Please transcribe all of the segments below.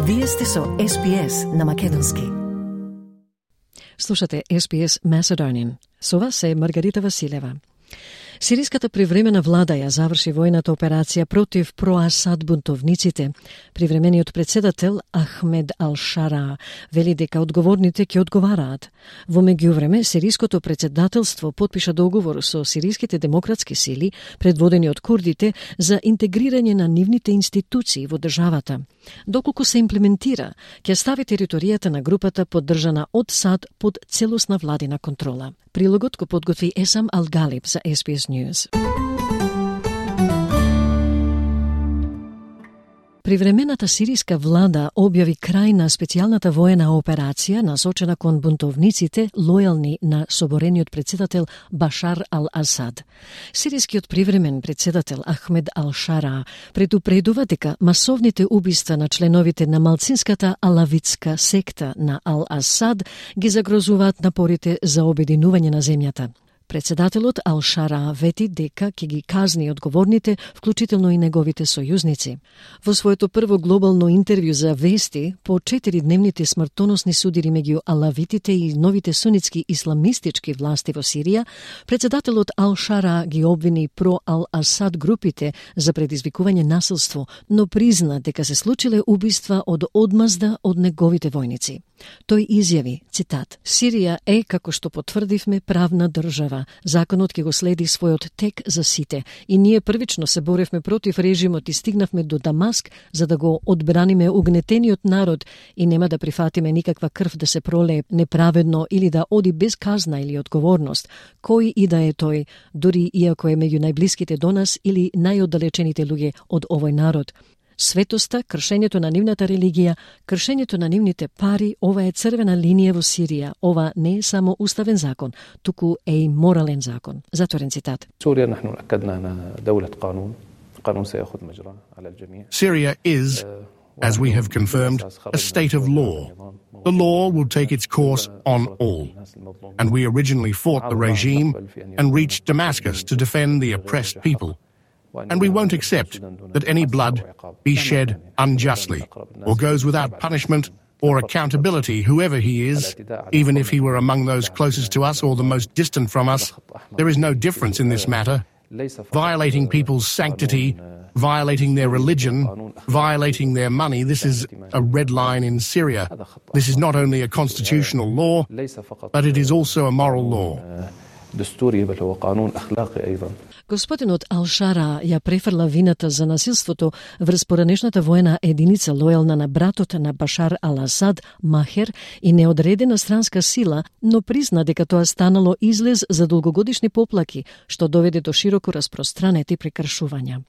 Вие сте со SPS на македонски. Слушате SPS Macedonian. Со вас е Маргарита Василева. Сириската привремена влада ја заврши војната операција против про-Асад бунтовниците. Привремениот председател Ахмед Ал-Шара вели дека одговорните ќе одговараат. Во меѓувреме, сириското председателство потпиша договор со сириските демократски сили, предводени од курдите, за интегрирање на нивните институции во државата. Доколку се имплементира, ќе стави територијата на групата поддржана од САД под целосна владина контрола. Прилогот го подготви Есам Ал-Галиб за SBS News. Привремената сириска влада објави крај на специјалната воена операција насочена кон бунтовниците лојални на соборениот председател Башар Ал-Асад. Сирискиот привремен председател Ахмед Ал-Шара предупредува дека масовните убиства на членовите на малцинската алавитска секта на Ал-Асад ги загрозуваат напорите за обединување на земјата. Председателот Ал-Шара вети дека ќе ги казни одговорните, вклучително и неговите сојузници. Во своето прво глобално интервју за вести по 4-дневните смртоносни судири меѓу алавитите и новите сунитски исламистички власти во Сирија, председателот Ал-Шара ги обвини про-Ал-Асад групите за предизвикување насилство, но призна дека се случиле убиства од одмазда од неговите војници. Тој изјави, цитат: "Сирија е, како што потврдивме, правна држава. Законот ќе го следи својот тек за сите и ние првично се боревме против режимот и стигнавме до Дамаск за да го одбраниме угнетениот народ и нема да прифатиме никаква крв да се пролее неправедно или да оди без казна или одговорност, кој и да е тој, дури иако е меѓу најблиските до нас или најоддалечените луѓе од овој народ. Светоста, кршењето на нивната религија, кршењето на нивните пари, ова е црвена линија во Сирија. Ова не е само уставен закон, туку е и морален закон." Затворен цитат. Syria is, as we have confirmed, a state of law. The law will take its course on all. And we originally fought the regime and reached Damascus to defend the oppressed people. And we won't accept that any blood be shed unjustly or goes without punishment or accountability, whoever he is, even if he were among those closest to us or the most distant from us. There is no difference in this matter. Violating people's sanctity, violating their religion, violating their money, this is a red line in Syria. This is not only a constitutional law, but it is also a moral law. Господинот Ал-Шара ја префрла вината за насилството врз поранешната воена единица лојална на братот на Башар Ал-Асад, Махер, и неодредена странска сила, но призна дека тоа станало излез за долгогодишни поплаки, што доведе до широко распространети прекршувања.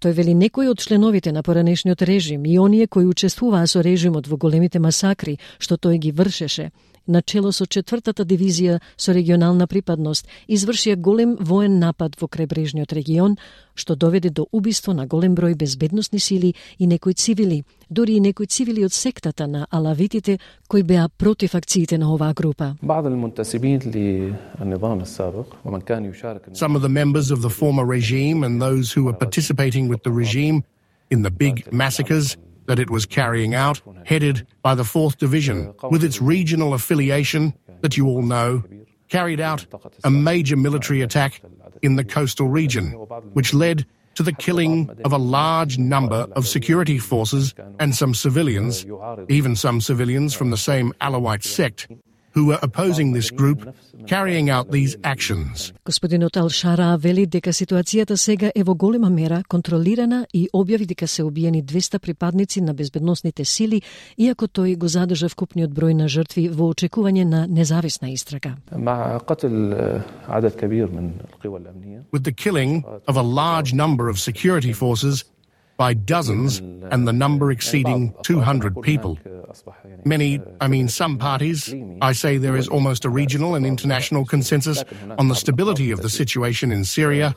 Тој вели некои од членовите на поранешниот режим и оние кои учествуваа со режимот во големите масакри што тој ги вршеше, начело со 4-та дивизија со регионална припадност, извршија голем воен напад во крајбрежниот регион, што доведе до убиство на голем број безбедносни сили и некои цивили, дури и некои цивили од сектата на алавитите кои беа против акциите на оваа група. Some of the members of the former regime and those who were participating with the regime in the big massacres that it was carrying out, headed by the 4th Division, with its regional affiliation that you all know, carried out a major military attack in the coastal region, which led to the killing of a large number of security forces and some civilians, even some civilians from the same Alawite sect, who were opposing this group, carrying out these actions. Господинот Ал-Шара вели дека ситуацијата сега е во голема мера контролирана и објави дека се убиени 200 припадници на безбедносните сили, иако тој го задржа вкупниот број на жртви во очекување на независна истрага. With the killing of a large number of security forces by dozens and the number exceeding 200 people. Some parties, I say there is almost a regional and international consensus on the stability of the situation in Syria,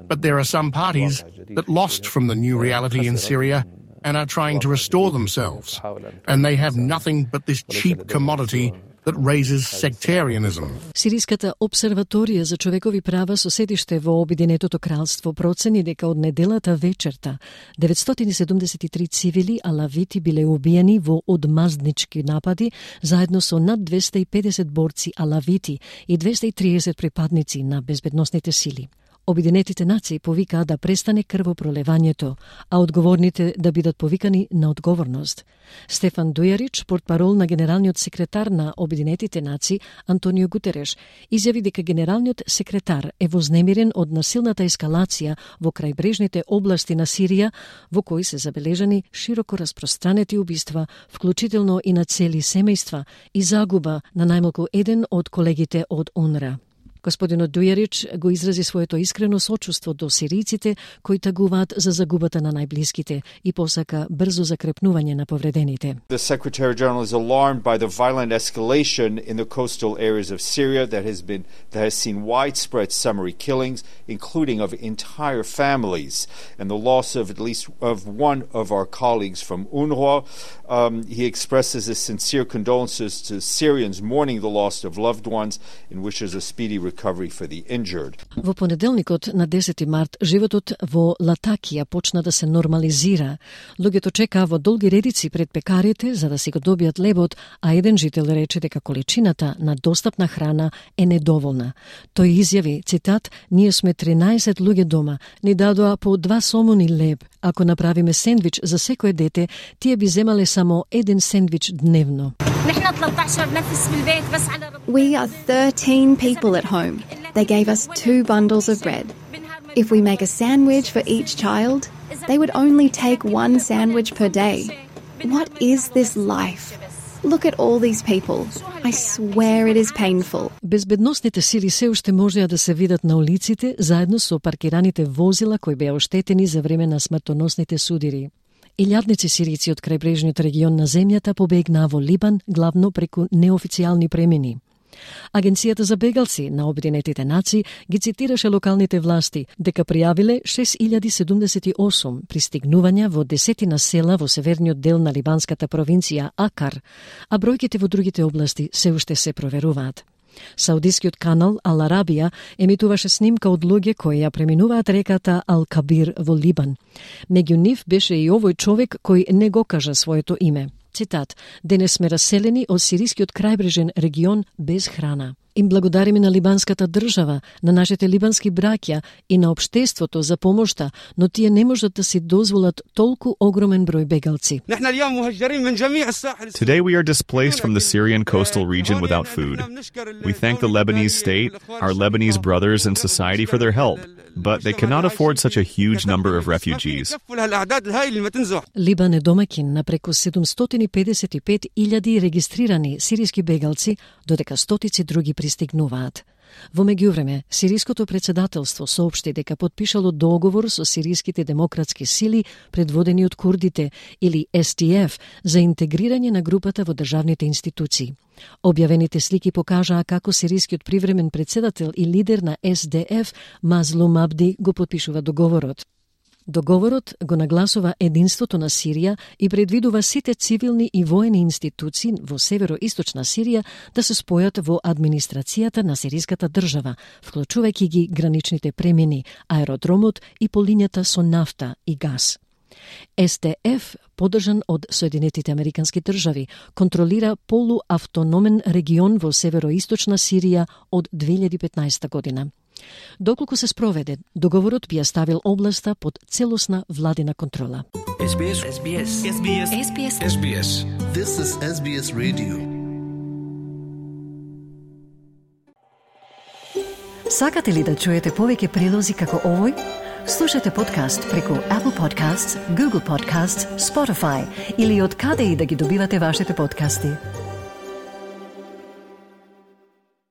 but there are some parties that lost from the new reality in Syria and are trying to restore themselves, and they have nothing but this cheap commodity that raises sectarianism. Сириската обсерваторија за човекови права со седиште во Обединетото кралство процени дека од неделата вечерта 973 цивили алавити биле убиени во одмазднички напади заедно со над 250 борци алавити и 230 припадници на безбедносните сили. Обединетите нации повикаа да престане крвопролевањето, а одговорните да бидат повикани на одговорност. Стефан Дујарич, портпарол на генералниот секретар на Обединетите нации Антонио Гутереш, изјави дека генералниот секретар е вознемирен од насилната ескалација во крајбрежните области на Сирија, во кои се забележани широко распространети убиства, вклучително и на цели семејства, и загуба на најмалку еден од колегите од УНРА. Господинот Дујарич го изрази своето искрено сочувство до сиријците кои тагуваат за загубата на најблиските и посака брзо закрепнување на повредените. The Secretary General is alarmed by the violent escalation in the coastal areas of Syria that has seen widespread summary killings, including of entire families, and the loss of at least of one of our colleagues from UNRWA. He expresses his sincere condolences to Syrians mourning the loss of loved ones and wishes a speedy recovery for the injured. Во понеделникот на 10 март животот во Латакија почна да се нормализира. Луѓето чекаа во долги редици пред пекарите за да си го добијат лебот, а еден жител рече дека количината на достапна храна е недоволна. Тој изјави, цитат: "Ние сме 13 луѓе дома, ни дадоа по 2 сомуни леб. Ако направиме сендвич за секое дете, тие би земале само еден сендвич дневно." We are 13 people at home. They gave us 2 bundles of bread. If we make a sandwich for each child, they would only take 1 sandwich per day. What is this life? Look at all these people. I swear it is painful. Безбедносните сили се уште можеа да се видат на улиците заедно со паркираните возила кои беа оштетени за време на смртоносните судири. Илјадници сирици од крајбрежниот регион на земјата побегнаа во Либан главно преку неофицијални премини. Агенцијата за бегалци на Обединетите нации ги цитираше локалните власти дека пријавиле 6078 пристигнувања во 10 села во северниот дел на либанската провинција Акар, а бројките во другите области се уште се проверуваат. Саудискиот канал Ал Арабија емитуваше снимка од луѓе кои ја преминуваат реката Ал Кабир во Либан. Меѓу нив беше и овој човек кој не го кажа своето име. Цитат: "Денес сме раселени од сирискиот крајбрежен регион без храна. Им благодариме на либанската држава, на нашите либански браќа и на општеството за помошта, но тие не можат да си дозволат толку огромен број бегалци." Today we are displaced from the Syrian coastal region without food. We thank the Lebanese state, our Lebanese brothers and society for their help, but they cannot afford such a huge number of refugees. Либан е домаќин на преку 755.000 регистрирани сириски бегалци, додека стотици други пристигнуваат. Во меѓувреме, сириското председателство соопшти дека подпишало договор со сириските демократски сили предводени од курдите или SDF за интегрирање на групата во државните институции. Објавените слики покажаа како сирискиот привремен председател и лидер на SDF Мазлум Абди го подпишува договорот. Договорот го нагласува единството на Сирија и предвидува сите цивилни и воени институции во североисточна Сирија да се спојат во администрацијата на сириската држава, вклучувајќи ги граничните премини, аеродромот и полињата со нафта и газ. SDF, поддржан од Соединетите Американски држави, контролира полуавтономен регион во североисточна Сирија од 2015 година. Доколку се спроведе, договорот би ја ставил областа под целосна владина контрола. SBS. This is SBS Radio. Сакате ли да чуете повеќе прилози како овој? Слушате подкаст преку Apple Podcasts, Google Podcasts, Spotify или од каде и да ги добивате вашите подкасти.